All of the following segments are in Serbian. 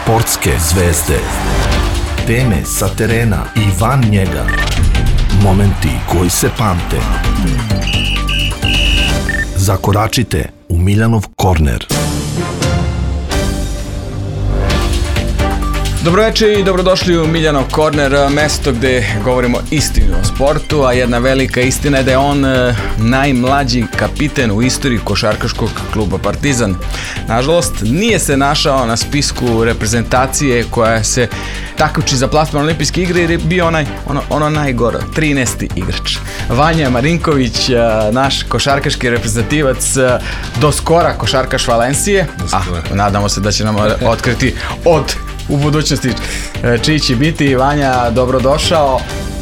Sportske zvezde. Teme sa terena i van njega. Momenti koji se pamte. Zakoračite u Miljanov korner. Dobroveče i dobrodošli u Miljanov korner, mesto gde govorimo istinu o sportu, a jedna velika istina je da je on najmlađi kapiten u istoriji košarkaškog kluba Partizan. Nažalost, nije se našao na spisku reprezentacije koja se takmiči za plasman olimpijske igre jer je bio ono najgore, 13. igrač. Vanja Marinković, naš košarkaški reprezentativac, do skora košarkaš Valencije, nadamo se da će nam otkriti u budućnosti čiji će biti. Vanja, dobrodošao.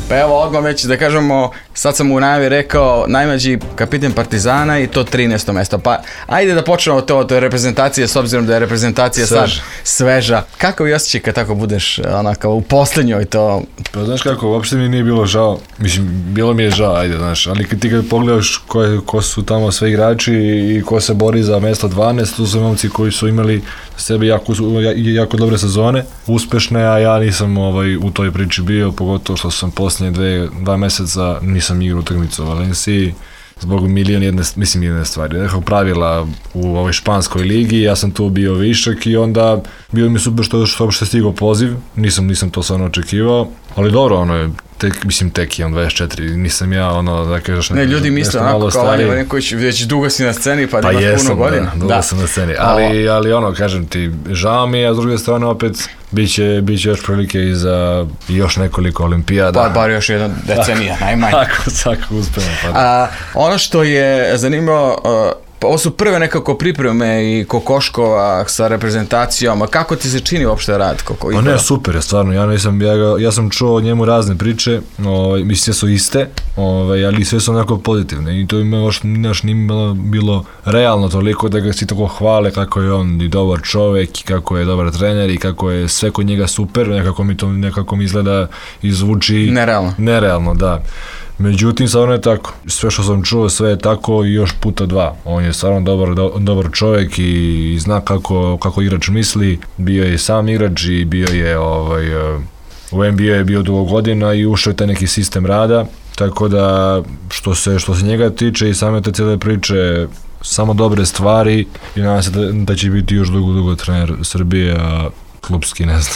Pa evo odmah već da kažemo, sad sam u najavi rekao najmlađi kapiten Partizana i to 13. mesto. Pa ajde da počnemo to od reprezentacije, s obzirom da je reprezentacija sad sveža. Kako vi osjećaj kad tako budeš onako u posljednjoj to? Pa znaš kako, uopšte mi nije bilo žao. Mislim, bilo mi je žao, ajde, znaš. Ali ti kad pogledaš ko su tamo sve igrači i ko se bori za mesto 12, tu su momci koji su imali sebe jako dobre sezone, uspešne, a ja nisam u toj priči bio, pogotovo što sam posljednje dva meseca nisam igrao utakmicu u Valenciji zbog jedne stvari. Nekog pravila u ovoj španskoj ligi, ja sam tu bio višak i onda bio mi super što uopšte stigao poziv, nisam to stvarno očekivao, ali dobro, tek je on 24, nisam ja da kažeš ne, ljudi misle onako kao Vanja Marinković, već dugo si na sceni pa imaš puno godina. Dugo sam na sceni, ali kažem ti, žao mi je, a s druge strane opet biće još prilike i za još nekoliko olimpijada. Pa bar još jedna decenija, najmanje. Tako uspemo. Ono što je zanimljivo, ovo su prve nekako pripreme i Kokoškova sa reprezentacijom, a kako ti se čini uopšte rad? Pa ne, super je, stvarno, ja sam čuo o njemu razne priče, mislim sve su iste, ali sve su onako pozitivne i to nije bilo realno toliko da ga svi tako hvale kako je on i dobar čovek i kako je dobar trener i kako je sve kod njega super, nekako mi izgleda i zvuči nerealno, da. Međutim, stvarno je tako. Sve što sam čuo, sve je tako i još puta dva. On je stvarno dobar čovjek i zna kako igrač misli. Bio je sam igrač i bio je u NBA je bio dugo godina i ušao je taj neki sistem rada. Tako da, što se njega tiče i same te cijele priče, samo dobre stvari i nadam se da će biti još dugo trener Srbije, a klubski, ne znam.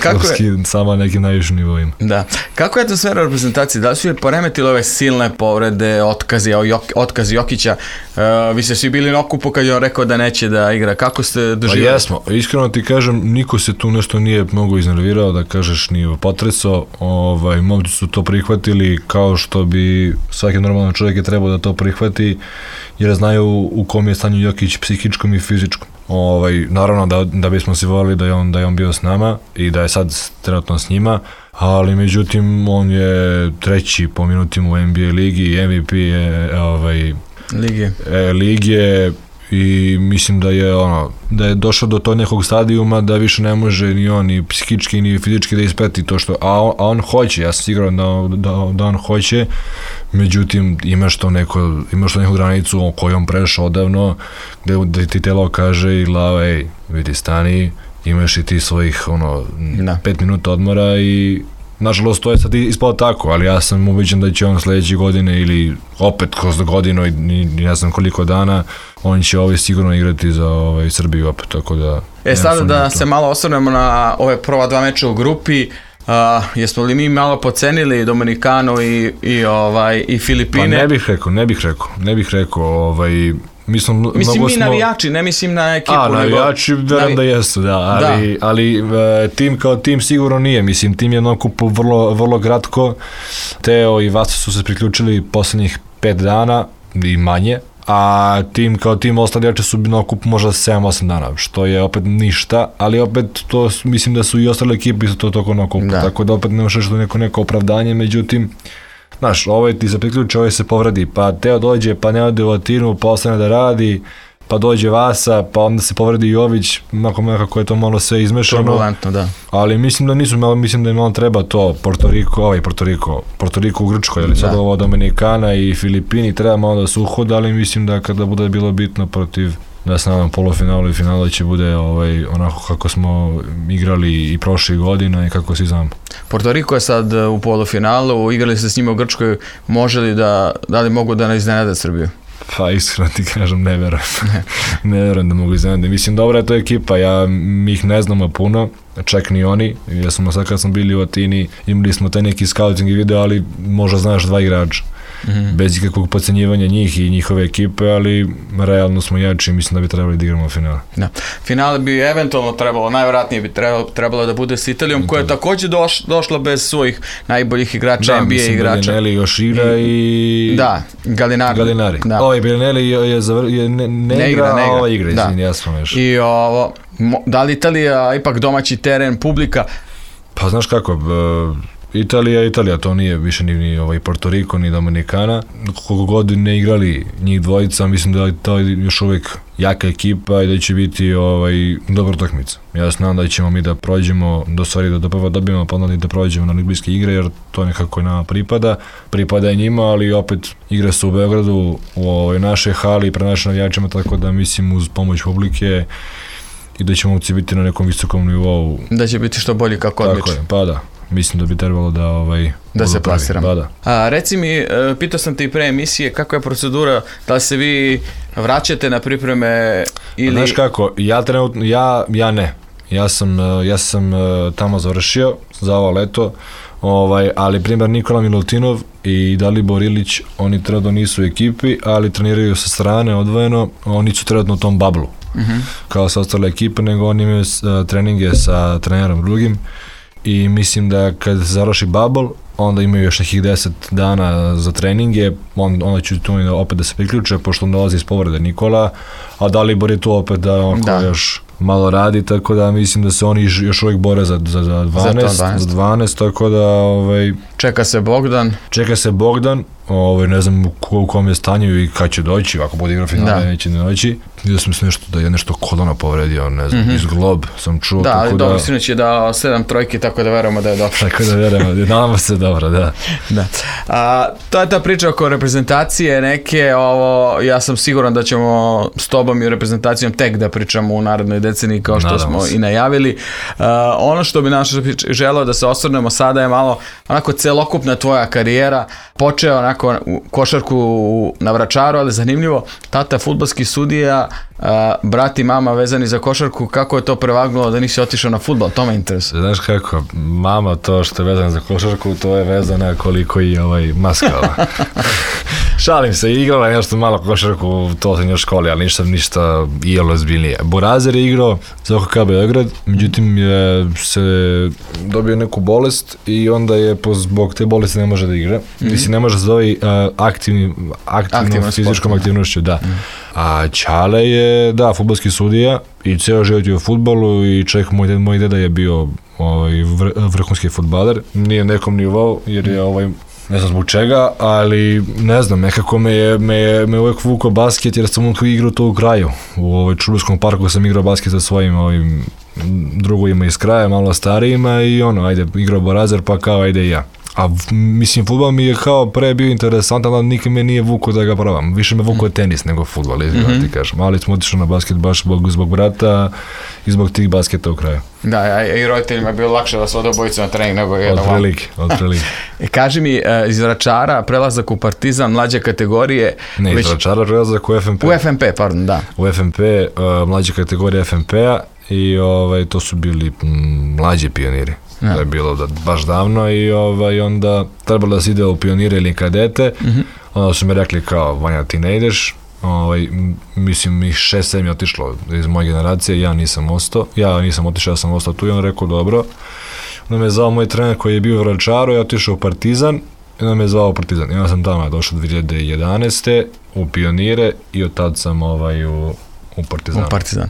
Klubski samo nekim najvišim nivoima. Da. Kako je atmosfera reprezentacije? Da li su je poremetile ove silne povrede, otkazi Jokića? Vi ste svi bili na okupu kad je on rekao da neće da igra. Kako ste doživjeli? Pa jesmo. Iskreno ti kažem, niko se tu nešto nije mnogo iznervirao, da kažeš nije potresao. Momci su to prihvatili kao što bi svaki normalan čovjek je trebao da to prihvati, jer znaju u kom je stanju Jokić psihičkom i fizičkom. Naravno da bismo si volili da je on bio s nama i da je sad trenutno s njima, ali međutim on je treći po minutima u NBA ligi, MVP je lige i mislim da je došao do tog nekog stadijuma da više ne može ni on ni psihički ni fizički da isprati to što, a on hoće, ja sam siguran da on hoće, međutim imaš to neku granicu koju on prešao odavno, gde ti telo kaže i glava, ej, vidi, stani, imaš i ti svojih 5 minuta odmora i nažalost to je sad ispalo tako, ali ja sam ubeđen da će on sljedeće godine ili opet kroz godinu i ne znam koliko dana, on će sigurno igrati za Srbiju opet, tako da... Sada da se malo osvrnemo na ove prva dva meča u grupi, jesmo li mi malo pocenili Dominikanu i Filipine? Pa ne bih rekao, mislim mi navijači, ne mislim na ekipu. Navijači, verujem da jesu, da, ali tim kao tim sigurno nije, mislim, tim je na okupu vrlo kratko, Teo i Vasa su se priključili posljednjih 5 dana i manje, a tim kao tim ostali igrači su na okupu možda 7-8 dana, što je opet ništa, ali opet to mislim da su i ostale ekipe isto to toko na okupu, tako da opet ne možeš da neko opravdanje, međutim, znaš, ti se priključi, se povredi, pa Teo dođe, pa ne ode u Atinu, pa ostane da radi, pa dođe Vasa, pa onda se povredi Jović, nekako je to malo sve izmešano. Turbulentno, da. Ali mislim da im malo treba to, Porto Riko u Grčkoj, ali sad ovo Dominikana i Filipini, treba malo da se uhoda, ali mislim da kada bude bilo bitno protiv da se nadam polufinalu i finalu će bude onako kako smo igrali i prošle godine i kako svi znamo. Porto Riko je sad u polufinalu, igrali ste s njima u Grčkoj, može li da li mogu da ne iznenade Srbiju? Pa iskreno ti kažem, ne verujem. Ne verujem da mogu iznenaditi. Mislim, dobra je to ekipa, mi ih ne znamo puno, čak ni oni. Ja sam sad kad smo bili u Atini, imali smo taj neki scouting video, ali možda znaš 2 igrača. Bez ikakvog podcenjivanja njih i njihove ekipe, ali realno smo jači i mislim da bi trebali da igramo finale. Da. Finale bi eventualno trebalo, najvjerojatnije bi trebalo da bude s Italijom, koja je također došla bez svojih najboljih igrača, NBA igrača. Da, mislim, Bellinelli još igra i... Da, Gallinari. Da. Bellinelli ne igra, a ova igra, izvini, ja sam još. I da li Italija ipak domaći teren, publika? Pa znaš kako, Italija, to nije više ni Porto Riko, ni Dominikana. Koliko god ne igrali njih dvojica, mislim da je to još uvijek jaka ekipa i da će biti dobra utakmica. Ja znam da ćemo mi da prođemo, da prvo dobijemo, pa onda da prođemo na olimpijske igre, jer to nekako nama pripada i njima, ali opet igre su u Beogradu, u našoj hali, pred našim navijačima, tako da mislim uz pomoć publike i da će momci biti na nekom visokom nivou. Da će biti što bolji kako odlično. Tako je, pa da. Mislim da bi trebalo da se plasiramo. Da. Reci mi, pitao sam te i pre emisije, kakva je procedura, da li se vi vraćate na pripreme ili... Znaš kako, ja ne. Ja sam tamo završio za ovo leto, ali primjer Nikola Milutinov i Dalibor Ilić, oni trenutno nisu u ekipi, ali treniraju sa strane odvojeno, oni su trenutno u tom bablu, kao sa ostale ekipe, nego oni imaju treninge sa trenerom drugim. I mislim da kad se završi bubble, onda imaju još nekih 10 dana za treninge, onda ću tu opet da se priključe, pošto on dolazi iz povrede Nikola, a Dalibor je tu opet da još malo radi, tako da mislim da se oni još uvijek bore za 12, tako da... Čeka se Bogdan, ne znam u kom je stanju i kad će doći, ako bude igra finale, neće ne doći. Vidio sam se da je nešto kolona povredio, ne znam, iz glob sam čuo. Da, ali dobro, sinoć je dao 7 trojki, tako da verujemo da je dobro. Tako da verujemo, nadamo se dobro, da. To je ta priča oko reprezentacije neke, ja sam siguran da ćemo s tobom i reprezentacijom tek da pričamo u narednoj deceniji, kao što smo i najavili. Ono što bi želeo da se osvrnemo sada je malo onako celokupna tvoja karijera, počeo onako košarku na Vračaru, ali zanimljivo, tata fudbalski sudija, brat i mama vezani za košarku, kako je to prevagnulo da nisi otišao na fudbal, to me interesuje. Znaš kako, mama to što je vezana za košarku, to je vezana koliko i maskala. Šalim se, igrala je nešto malo košarku, to sam još školi, ali ništa igralo zbiljnije. Borazer je igrao za OKK Beograd, međutim je se dobio neku bolest i onda je zbog te bolesti ne može da igra. Mislim, ne može da se zove aktivnom fizičkom aktivnošću, da. A Ćale je, fudbalski sudija i ceo život je u fudbalu i čovjek, moj deda je bio vrhunski fudbaler, nije nekom nivou jer je ne znam zbog čega, ali ne znam, nekako me uvijek vukao basket jer sam tu igrao to u kraju. U Čuburskom parku sam igrao basket sa svojim drugovima iz kraja, malo starijima i ajde, igrao Borazer pa kao ajde i ja. A mislim, fudbal mi je kao pre bio interesantan, ali nikad me nije vukao da ga probam. Više me vukao tenis nego fudbal, ti kažem. Ali smo otišli na basket baš zbog brata i zbog tih basketa u kraju. Da, i roditeljima je bilo lakše da se ode obojica na trening nego jedan vam. Otprilike. Kaži mi, iz Vračara prelazak u Partizan, mlađe kategorije... Ne, iz Vračara prelazak u FNP. U FNP, pardon, da. U FNP, mlađe kategorije FNP-a i to su bili mlađi pioniri. To je bilo baš davno i onda trebalo da se ide u pionire ili kadete. Onda su mi rekli kao, Vanja, ti ne ideš. Mislim, ih 6-7 je otišlo iz moje generacije, ja nisam ostao. Ja sam ostao tu i on rekao, dobro. Onda me je zvao moj trener koji je bio u Vračaru, ja otišao u Partizan. I onda me je zvao u Partizan. Ja sam tamo došao 2011. u pionire i od tad sam u Partizan.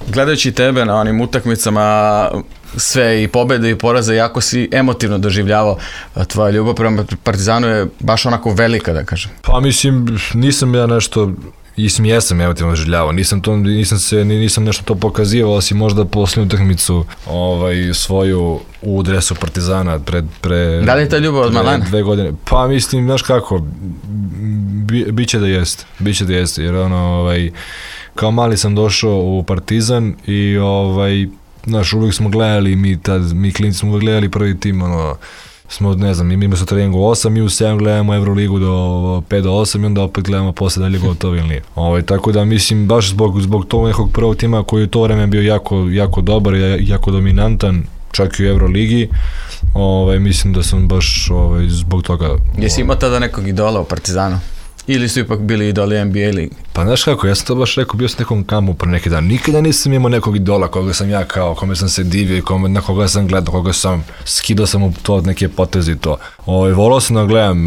Gledajući tebe na onim utakmicama, sve i pobjede i poraze, jako si emotivno doživljavao, tvoja ljubav prema Partizanu je baš onako velika, da kažem. Pa mislim, nisam ja nešto, jesam emotivno doživljavao, nisam nešto to pokazivao, osim možda posljednju utakmicu svoju u dresu Partizana pre da li je ta ljubav od malena? 2 godine. Pa mislim, znaš kako, biće da jeste, jer kao mali sam došao u Partizan i znaš, uvijek smo gledali, mi klinci smo uvijek gledali prvi tim, smo, ne znam, mi smo treningu 8, mi u 7 gledamo Euroligu do 5 do 8 i onda opet gledamo posle dalje gotovo ili nije. Tako da mislim, baš zbog tog nekog prvog tima koji je u to vreme bio jako dobar i jako dominantan, čak i u Euroligi, mislim da sam baš zbog toga... Jesi imao tada nekog idola u Partizanu? Ili su ipak bili idoli NBA ligi? Pa znaš kako, ja sam to baš rekao, bio sam nekom kampu pre neki dan, nikada nisam imao nekog idola koga sam ja kao, kome sam se divio i na koga sam gledao, koga sam skidao sam u to neke poteze i to. Volao sam da gledam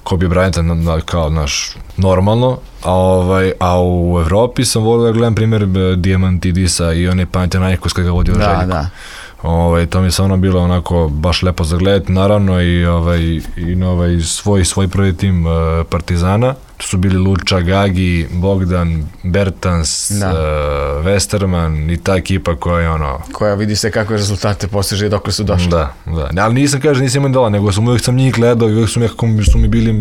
Kobe Bryanta kao naš normalno, a u Evropi sam volio da gledam primjer Diamantidisa i one Panathinaikos kada ga vodio Željko. Da. To mi se bilo onako baš lepo za gledati, naravno i svoj prvi tim Partizana. Tu su bili Luča, Gagi, Bogdan, Bertans, Westerman i ta ekipa koja je koja vidi se kakve rezultate postiže i dok su došli. Da. Ali nisam imao idola, nego uvijek sam njih gledao i uvijek su mi bili,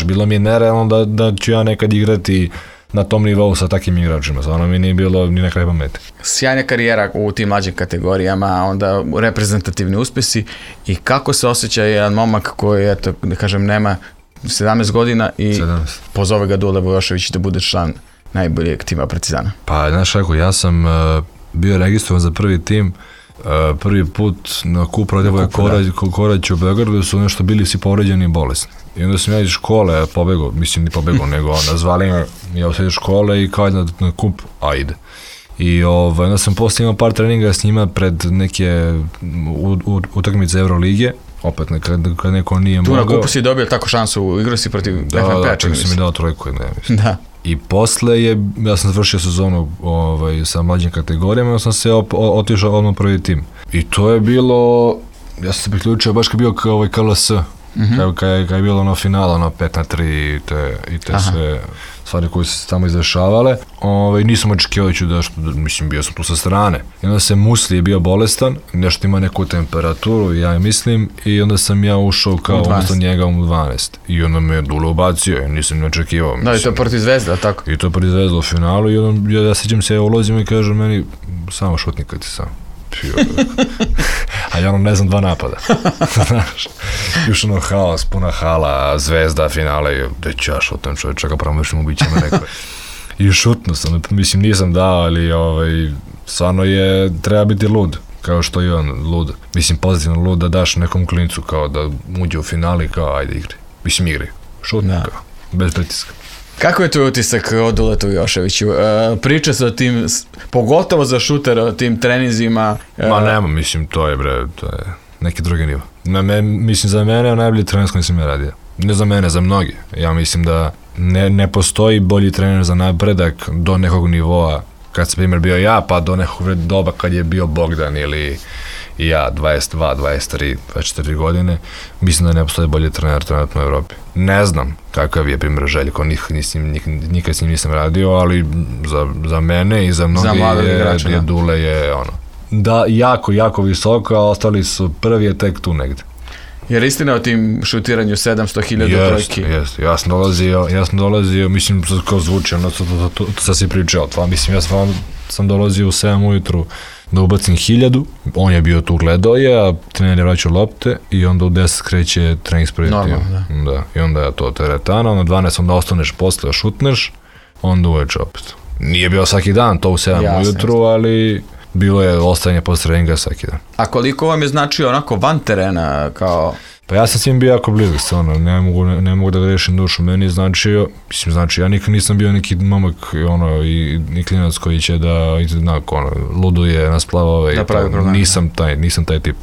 bilo mi je nerealno da ću ja nekad igrati na tom nivou sa takvim igračima, stvarno mi nije bilo ni na kraj pameti. Sjajna karijera u tim mlađim kategorijama, onda reprezentativni uspjesi i kako se osjeća jedan momak koji, eto, da kažem, nema 17 godina i pozove ga Dule Vojošević da bude član najboljeg tima Partizana. Pa, znaš kako, ja sam bio registrovan za prvi tim, prvi put na kup Radivoj Korać u Beogradu su nešto bili svi povređeni i bolesni. I onda sam ja iz škole pobegao, nego nazvali me, ja usred škole i kao na kup, ajde. I onda sam posle imao par treninga s njima pred neke utakmice Eurolige, opet kad neko nije mogao. Tu na kupu si dobio tako šansu, igrao si protiv FNP-a, da, čak sam mi dao trojku, mislim. Da. I posle ja sam završio sezonu sa mlađim kategorijama, onda sam se otišao odmah prvi tim. I to je bilo, ja sam se priključio baš kad bio KLS, kad je bilo finala, 5-3 i te sve stvari koje su se tamo izdešavale. Nisam očekivajući mislim, bio sam tu sa strane. I onda se Musli je bio bolestan, nešto ima neku temperaturu, ja mislim, i onda sam ja ušao kao umjesto njega u 12. I onda me Dule ubacio, i nisam ne očekivao. Da, i to protiv Zvezda, tako? I to protiv Zvezda u finalu, i onda ja sjećam se, ja ulazim i kažem meni, samo šutni kad ti sam. A ja ne znam 2 napada. Još haos, puna hala, Zvezda, finale, gde ću ja šutam čovječ, čaka promašim ubiće me neko. I šutno sam, mislim nisam dao, ali stvarno treba biti lud, kao što je on lud. Mislim pozitivno lud da daš nekom klincu kao da uđe u finali, kao ajde igri. Mislim igri, šutno kao, bez pritiska. Kako je tvoj utisak o Duletu Joševiću? Priča se o tim, pogotovo za šutera, o tim treninzima. Ma nema, mislim, to je neki drugi nivo. Mislim, za mene je najbolji trener s kojim sam ja radio. Ne za mene, za mnogi. Ja mislim da ne postoji bolji trener za napredak do nekog nivoa, kad sam primjer bio ja, pa do nekog doba kad je bio Bogdan ili ja, 22, 23, 24 godine, mislim da ne postoji bolji trener trenutno u Evropi. Ne znam kakav je primjer Željko, nikad s njim nisam radio, ali za mene i za mnogi je Dule je da, jako visoko, a ostali su prvi je tek tu negde. Jer istina o tim šutiranju 700.000 trojki? Jeste, ja sam dolazio, mislim, kao zvuči, to sad si pričao, mislim, ja sam dolazio u 7 ujutru da ubacim 1000, on je bio tu gledao a trener je vraćao lopte i onda u 10 kreće trening s prvim timom. Da. I onda je to teretana, onda 12 onda ostaneš posle, šutneš, onda uveče opet. Nije bio svaki dan to u 7 ujutru, ali bilo je ostajanje posle treninga svaki dan. A koliko vam je značio onako van terena kao... Pa ja sam s njim bio jako blizu, ne mogu da grešim dušu, meni je značio, ja nikad nisam bio neki momak i klinac koji će da luduje na splavove, nisam taj tip,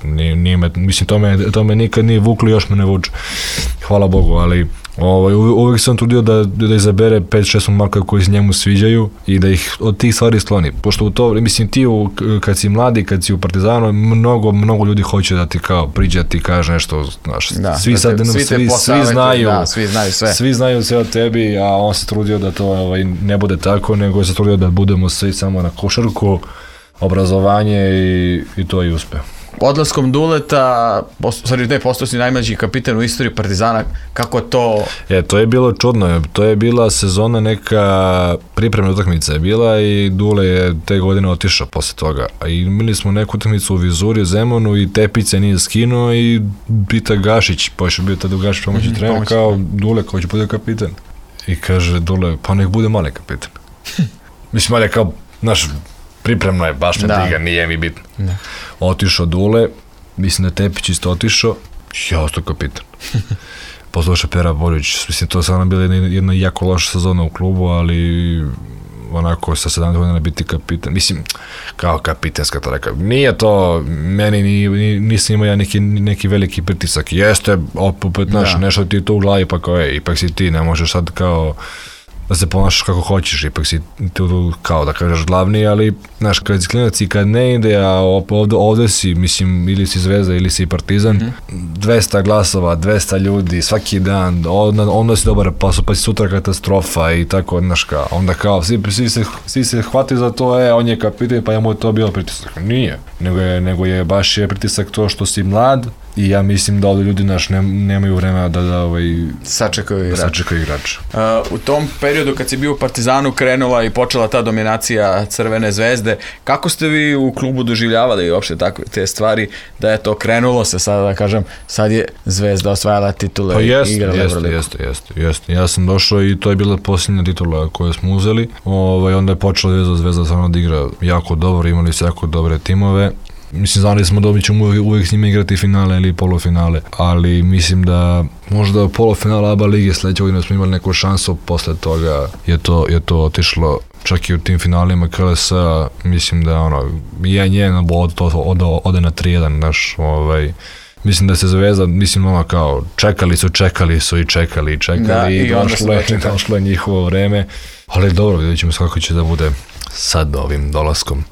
mislim to me nikad nije vuklo, još me ne vuče, hvala Bogu, ali uvijek sam trudio da izabere 5-6 momaka koji se njemu sviđaju i da ih od tih stvari skloni, pošto u to, mislim ti kad si mladi, kad si u Partizanu, mnogo ljudi hoće da ti kao priđe, da ti kaže nešto, svi znaju sve o tebi, a on se trudio da to ne bude tako, nego se trudio da budemo svi samo na košarku, obrazovanje i to i uspe. odlaskom Duleta, postao si najmlađi kapitan u istoriji Partizana, kako to... To je bilo čudno, to je bila sezona neka pripremna utakmica je bila i Dule je te godine otišao posle toga. A imali smo neku utakmicu u Vizuri, u Zemunu i Tepić se nije skinuo i pita Gašić, pa je bio tada Gašić pomoći trener, kao Dule, ko će bude kapitan? I kaže Dule, pa nek bude mali kapitan. Mislim, Mali kao, znaš, pripremno je, baš me briga, nije mi bitno. Otišao Dule, mislim da je Tepić isto otišao, ja ostao kapitan. Poslušao Pera Boljić, mislim, to je sada bila jedna jako loša sezona u klubu, ali onako sa 17 godina biti kapitan, mislim, kao kapitenska to rekao. Nije to, meni nisam imao ja neki veliki pritisak. Jeste, opet, znaš, nešto ti je to u glavi, pa kao, ipak si ti, ne možeš sad kao da se ponašaš kako hoćeš, ipak si tu kao da kažeš glavni, ali znaš, kad si klinac i kad ne ide, a ovde si, mislim, ili si Zvezda ili si Partizan, 200 glasova, 200 ljudi, svaki dan, onda si dobar posao, pa si sutra katastrofa i tako, znaš, kao, onda kao, svi se hvati za to, on je kapitan, pa mu je to bilo pritisak. Nije, nego je baš pritisak to što si mlad, i ja mislim da ovdje ljudi nemaju vremena da sačekaju igrača. U tom periodu kad si bio u Partizanu krenula i počela ta dominacija Crvene Zvezde, kako ste vi u klubu doživljavali uopšte te stvari, da je to krenulo se sada, da kažem, sad je Zvezda osvajala titule i igrala Euroligu? Jeste. Ja sam došao i to je bila posljednja titula koju smo uzeli, onda je počela Zvezda samo da igra jako dobro, imali su jako dobre timove. Mislim, znali smo da ćemo uvijek s njima igrati finale ili polufinale, ali mislim da možda polufinale ABA lige sljedeće godine smo imali neku šansu, posle toga je to otišlo, čak i u tim finalima KLS-a, mislim da jedan ode na 3-1, znaš, mislim da se Zvezda, mislim, kao, čekali su i čekali i došlo je njihovo vreme, ali dobro, vidjet ćemo kako će da bude sad ovim dolaskom.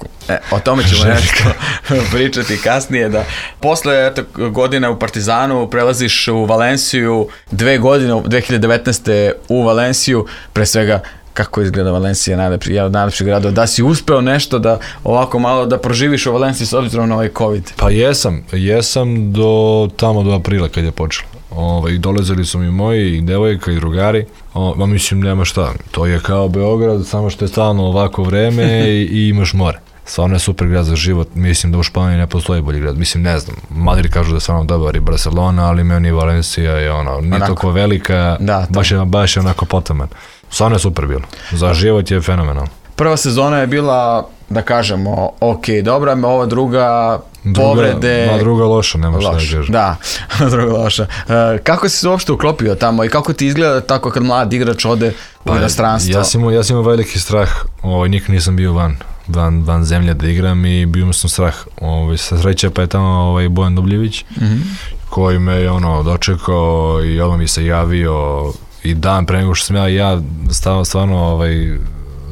O tome ćemo nešto pričati kasnije, da posle godina u Partizanu prelaziš u Valenciju, 2 godine, 2019. u Valenciju, pre svega kako izgleda Valencija, jedan od najlepših gradova, da si uspeo nešto da ovako malo da proživiš u Valenciji s obzirom na ovaj COVID? Pa jesam do aprila kad je počelo. I dolazili su mi moji i devojka i drugari, mislim nema šta, to je kao Beograd, samo što je stalno ovako vreme i imaš more. Stvarno je super grad za život, mislim da u Španiji ne postoji bolji grad, mislim ne znam, Madrid kažu da je stvarno dobar i Barcelona, ali meni Valencija je nije toliko velika, baš je onako potaman. Stvarno je super bilo, za život je fenomenalno. Prva sezona je bila, da kažemo, ok, dobra, ova druga povrede... Druga loša, nema šta da kažem. Da, druga loša. Kako si se uopšte uklopio tamo i kako ti izgleda tako kad mlad igrač ode u inostranstvo? Ja sam imao veliki strah, nikad nisam bio van zemlje da igram i bio sam strah. Sa sreće pa je tamo Bojan Dubljević, koji me je dočekao i odmah mi se javio i dan pre nego što sam ja stvarno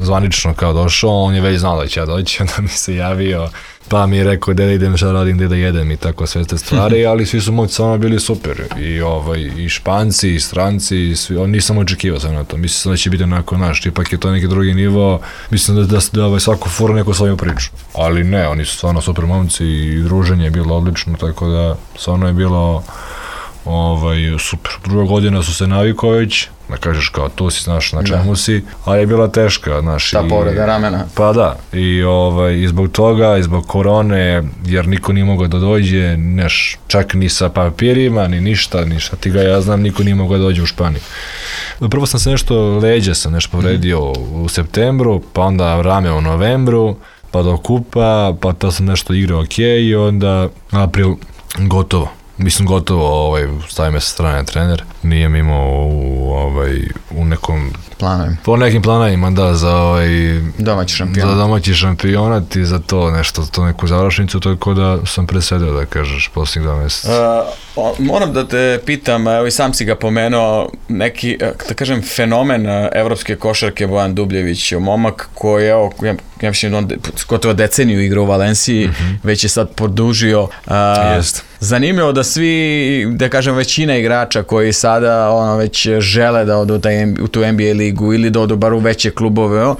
zvanično kao došao, on je već znao da će ja doći, onda mi se javio, pa mi je rekao gde da idem, šta radim, gde da jedem i tako sve te stvari, ali svi su moći stvarno bili super, i Španci, i stranci, nisam očekivao sam na to, mislim da će biti onako naš, ipak je to neki drugi nivo, mislim da svako fura neku svoju priču, ali ne, oni su stvarno super momci i druženje je bilo odlično, tako da stvarno je bilo super. Druga godina su se navikao već, da kažeš kao tu si, znaš na čemu si, ali je bila teška, znaš. Ta povreda ramena. Pa da, i zbog toga, i zbog korone, jer niko nije mogao da dođe, čak ni sa papirima, ni ništa, ti ga ja znam, niko nije mogao da dođe u Španiju. Prvo sam se leđa sam povredio u septembru, pa onda rame u novembru, pa do kupa, pa to sam nešto igrao ok, i onda april gotovo. Mislim, gotovo, stavi me sa strane trener, nije mi imao u nekom... Planovima. Po nekim planovima, da, za domaći šampionat i za to nešto, to neku završnicu, tako da sam presedio, da kažeš, posljednjih 2 mjeseca. Moram da te pitam, evo i sam si ga pomenuo, neki, da kažem, fenomen evropske košarke Bojan Dubljević, momak koji, evo, ja mislim, on gotovo deceniju igra u Valenciji, već je sad produžio. Zanimljivo da svi, da kažem, većina igrača koji sada već žele da odu u tu NBA ligu ili da odu bar u veće klubove,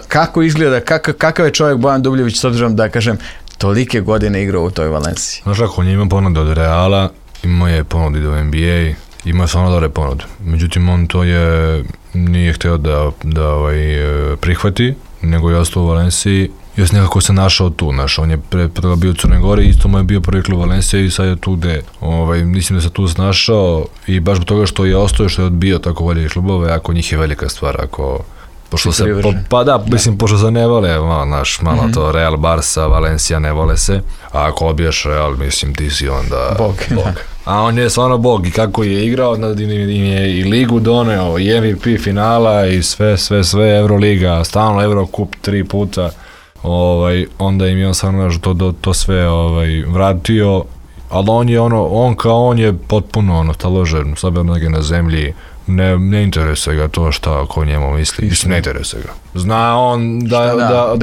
kako izgleda, kakav je čovjek Bojan Dubljević, s obzirom da kažem, tolike godine igrao u toj Valenciji. Znaš kako, on je imao ponude od Reala, imao je ponude do NBA, imao je stvarno dobre ponude. Međutim, on to nije htio da prihvati, nego je ostao u Valenciji. Još nekako se našao tu, on je pre toga bio u Crnoj Gori, isto mu je bio prvi klub Valencija i sad je tu gde. Mislim da se tu snašao i baš zbog toga što je ostao, što je odbio tako velike klubove, ako njih je velika stvar, pošto se ne vole, malo to Real, Barca, Valencia ne vole se, a ako odbijaš Real, mislim ti si onda Bog. A on je stvarno bog i kako je igrao, im je i ligu doneo, i MVP finala i sve, Euroliga, stalno Eurocup 3 puta. Onda im je on stvarno to sve vratio, ali on je potpuno taložen, sobe noge na zemlji, ne interesuje ga to šta ko njemu misli, ne interesuje ga. Zna on da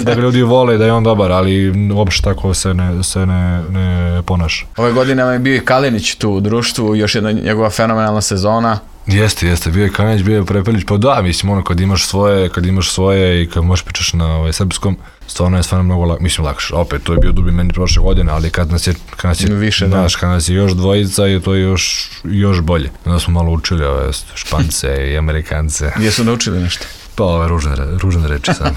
ga ljudi vole, da je on dobar, ali uopšte tako se ne ponaša. Ove godine je bio i Kalinić tu u društvu, još jedna njegova fenomenalna sezona. Jeste, bio je Kalinić, bio je Prepelić, pa da, mislim, kad imaš svoje i kad možeš pričaš na srpskom, stvarno je mnogo lakše. Opet, to je bio dubi meni prošle godine, ali kad nas je još dvojica, je to još bolje. Onda smo malo učili ove Špance i Amerikance. Jesu naučili nešto? Pa ove ružne reči samo.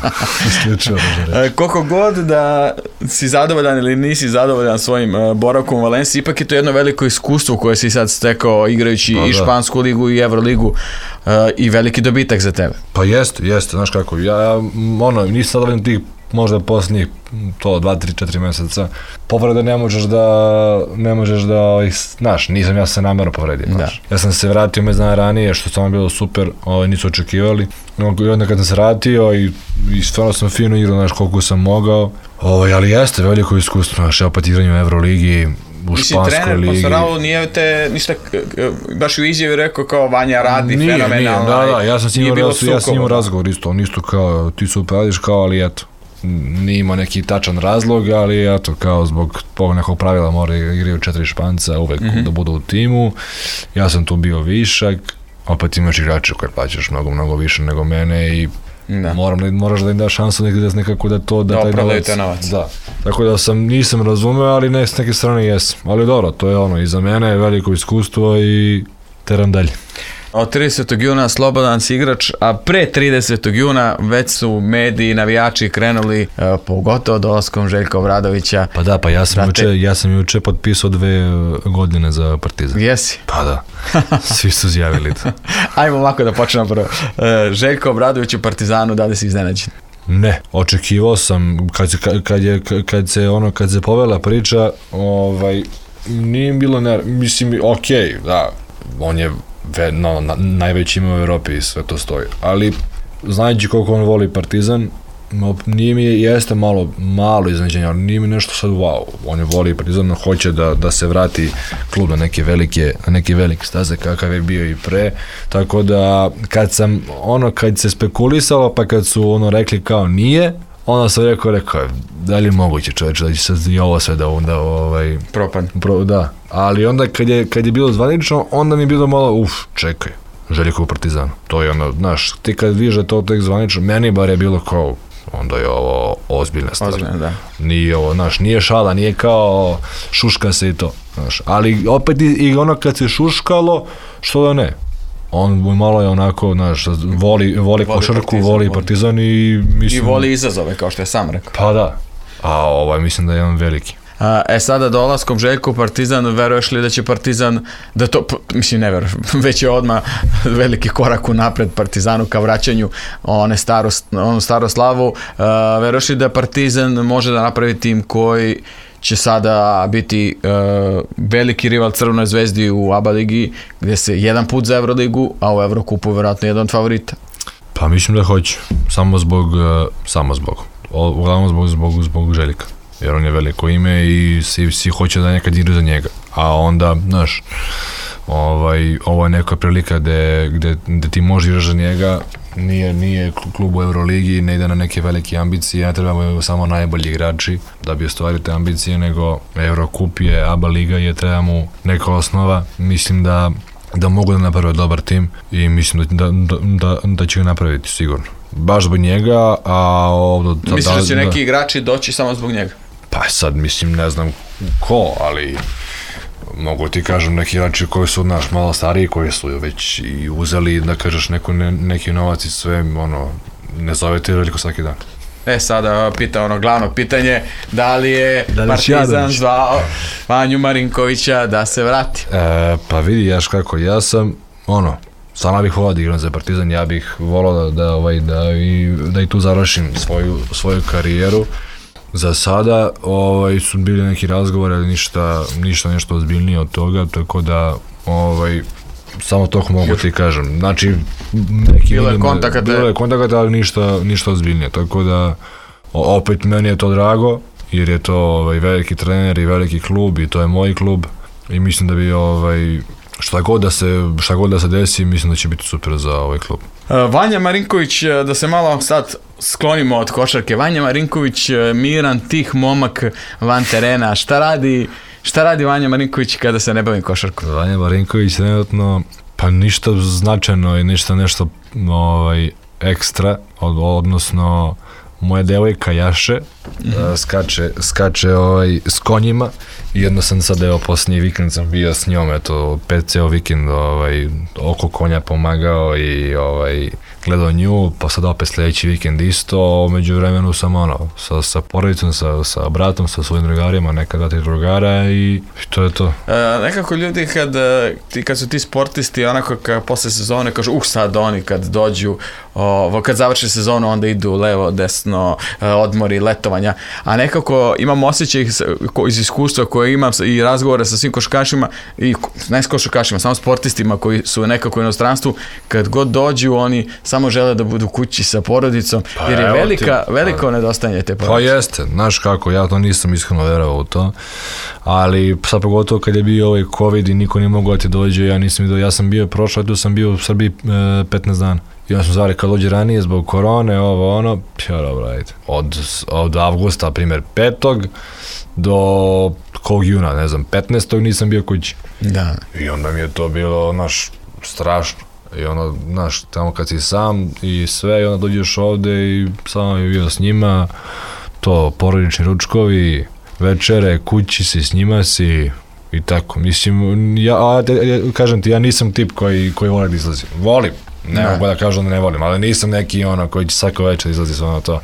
Isključivo ružne reči. Koliko god da si zadovoljan ili nisi zadovoljan svojim boravkom u Valenciji, ipak je to jedno veliko iskustvo koje si sad stekao igrajući i Špansku ligu i Euroligu i veliki dobitak za tebe. Pa jeste, znaš kako, ja nisam zadovoljan tih možda posljednjih 2, 3, 4 mjeseca. Povrede ne možeš da znaš, nisam ja se namjerno povredio. Ja sam se vratio mjesec dana ranije, što stvarno bilo super, nisu očekivali. I onda kad sam se vratio i stvarno sam fino igrao, znaš, koliko sam mogao. Ali jeste veliko iskustvo, znaš, ja opet igranju u Euroligi, u Španskoj ligi. Trener Posarao nije te ništa, baš u izjavi rekao kao Vanja radi fenomenalno. Da, ja sam s njim razgovor isto, on isto kao ti super radiš, kao, ali eto. Nije imao neki tačan razlog, ali eto, kao zbog tog nekog pravila mora igraju 4 Španca uvek da budu u timu. Ja sam tu bio višak, opet imaš igrače koje plaćaš mnogo više nego mene i moraš da im daš šansu nekako da opravdaju taj novac. Da. Tako da nisam razumeo, ali s neke strane jesam. Ali dobro, to je i za mene je veliko iskustvo i teram dalje. Od 30. juna slobodan si igrač, a pre 30. juna već su mediji, navijači krenuli, pogotovo dolaskom Željka Obradovića. Pa da, ja sam juče potpisao 2 godine za Partizan. Jesi? Pa da, svi su zjavili to. Ajmo ovako da počnemo prvo. Željko Obradović u Partizanu, da li si iznenađen? Ne, očekivao sam, kad se povela priča, nije bilo, mislim, okej, da, on je najveći ima u Europi i sve to stoji, ali znajući koliko on voli Partizan, nije mi jeste malo iznenađenje, ali nije mi nešto sad wow, on je voli Partizan, hoće da se vrati klub na neke velike staze kakav je bio i pre, tako da kad se spekulisalo, pa kad su rekli kao nije, onda sam rekao, da li je moguće čovječe da će sad i ovo sve da propadne. Da, ali onda kad je bilo zvanično, onda mi je bilo malo, čekaj, Željko u Partizanu. To je znaš, ti kad vidiš da to tek zvanično, meni bar je bilo kao, onda je ovo ozbiljna stvar. Da. Nije ovo, znaš, nije šala, nije kao šuška se i to, znaš, ali opet i kad se šuškalo, što da ne. On malo je onako, znaš, voli košarku, voli Partizan i mislim... I voli izazove, kao što je sam rekao. Pa da, a mislim da je on veliki. Sada dolaskom Željka u Partizan, veruješ li da će Partizan, da to, mislim ne verujem, već je odmah veliki korak unapred Partizanu ka vraćanju onu staru slavu, veruješ li da Partizan može da napravi tim koji će sada biti veliki rival Crvenoj zvezdi u ABA ligi, gdje se jedan put za Euroligu, a u Eurocupu vjerojatno jedan od favorita? Pa mislim da hoće, uglavnom zbog Željka, jer on je veliko ime i svi hoće da nekad igra za njega, a onda, znaš, ovo je neka prilika gde ti možeš igraš za njega, nije klub u Euroligi, ne ide na neke velike ambicije, ne trebamo samo najbolji igrači da bi ostvarili te ambicije, nego Eurocup je, ABA liga je, treba mu neka osnova, mislim da mogu da naprave dobar tim i mislim da će ga napraviti sigurno. Baš zbog njega, a ovdje... Misliš da će neki igrači doći samo zbog njega? Pa sad, mislim, ne znam ko, ali mogu ti kažem neki igrači koji su malo stariji, koji su već i uzeli, da kažeš, neki novac i sve, ne zovete veliko svaki dan. Sada pita glavno pitanje, da li je Partizan zvao Vanju Marinkovića da se vrati? Pa vidi, jaš kako, ja sam, stvarno bih volao da igram za Partizan, ja bih volao da i tu završim svoju karijeru. Za sada su bili neki razgovori, ali ništa nešto ozbiljnije od toga, tako da samo toliko mogu ti kažem. Znači, bilo je kontakata, ali ništa ozbiljnije, tako da opet meni je to drago, jer je to veliki trener i veliki klub i to je moj klub i mislim da bi šta god da se desi, mislim da će biti super za ovaj klub. Vanja Marinković, da se malo sad sklonimo od košarke, Vanja Marinković, miran, tih momak van terena, šta radi Vanja Marinković kada se ne bavi košarkom? Vanja Marinković trenutno, pa ništa značajno i ništa nešto ekstra, odnosno moja devojka Jaše skače s konjima i jedno sam sad, posljednji vikend sam bio s njom, ceo vikend oko konja pomagao i gledao nju, pa sad opet sljedeći vikend isto, među vremenu sam sa porodicom, sa bratom, sa svojim drugarima, neka 2-3 drugara i to je to. Nekako ljudi kad su ti sportisti, onako posle sezone kažu, sad oni kad dođu, kad završi sezonu onda idu levo, desno, odmori, letovanja, a nekako imam osjećaj iz iskustva koje imam i razgovore sa svim košarkašima, i ne s košarkašima, samo sportistima koji su nekako u inostranstvu, kad god dođu oni samo žele da budu kući sa porodicom, jer je veliko nedostajanje te porodice. Pa jeste, znaš kako, ja to nisam iskreno verovao u to, ali sad pogotovo kad je bio COVID i niko nije mogao da ti dođe, ja sam bio prošao, tu sam bio u Srbiji 15 dana. I onda smo zvali kad dođe ranije zbog korone, dobro, ajde. Od avgusta, primjer 5. do kog juna, ne znam, 15. nisam bio kući. Da. I onda mi je to bilo, strašno. I tamo kad si sam i sve, i onda dođeš ovde i samo je bio s njima, to porodični ručkovi, večere, kući si, s njima si i tako. Mislim, kažem ti, ja nisam tip koji voli da izlazi. Volim. Ne mogu da kažem da ne volim, ali nisam neki koji će svako večer izlazi s to.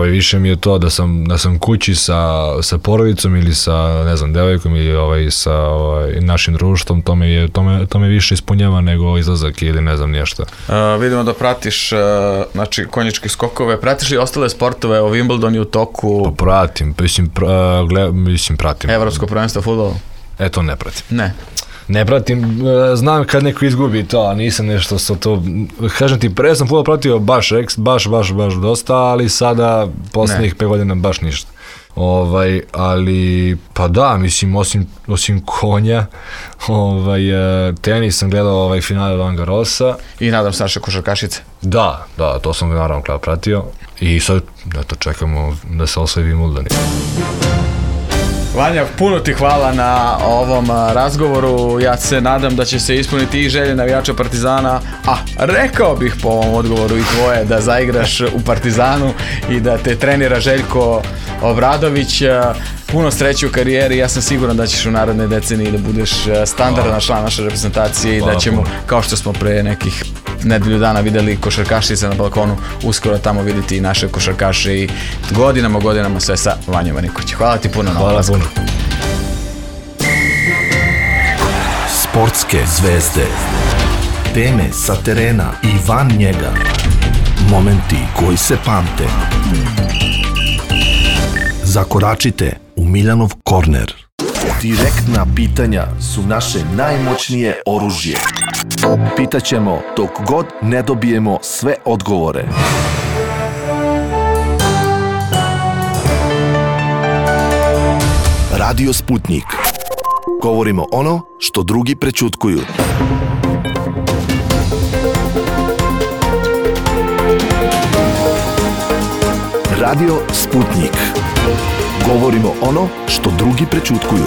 Više mi je to da sam kući sa porodicom ili sa, ne znam, devojkom ili sa našim društvom, to me više ispunjava nego izlazak ili ne znam nešto. Vidimo da pratiš, znači, konjičke skokove, pratiš li ostale sportove, o Wimbledon u toku? Pa pratim, pratim. Evropsko prvenstvo fudbala? To ne pratim. Ne pratim, znam kad neko izgubi to, a nisam nešto sa to, kažem ti, pre sam fudbal pratio baš dosta, ali sada, posljednjih 5 godina baš ništa. Ali, pa da, mislim, osim konja, tenis sam gledao finale Roland Garrosa. I nadam se naše košarkašice. Da, to sam naravno pratio i sad, čekamo da se osvoji Wimbledon. Vanja, puno ti hvala na ovom razgovoru, ja se nadam da će se ispuniti i želje navijača Partizana, a rekao bih po ovom odgovoru i tvoje da zaigraš u Partizanu i da te trenira Željko Obradović. Puno sreće u karijeri, ja sam siguran da ćeš u narednoj deceniji da budeš standardan član naše reprezentacije i da ćemo, kao što smo pre nekih nedelju dana videli košarkašice na balkonu, uskoro tamo vidjeti i naše košarkaše i godinama sve sa Vanjom Marinkovićem. Hvala ti puno na ovom razgovoru. Sportske zvezde, teme sa terena i van njega, momenti koji se pamte. Zakoračite u Miljanov korner. Direktna pitanja su naše najmoćnije oružje. Pitaćemo dok god ne dobijemo sve odgovore. Radio Sputnik. Govorimo ono što drugi prećutkuju. Radio Sputnik. Govorimo ono što drugi prećutkuju.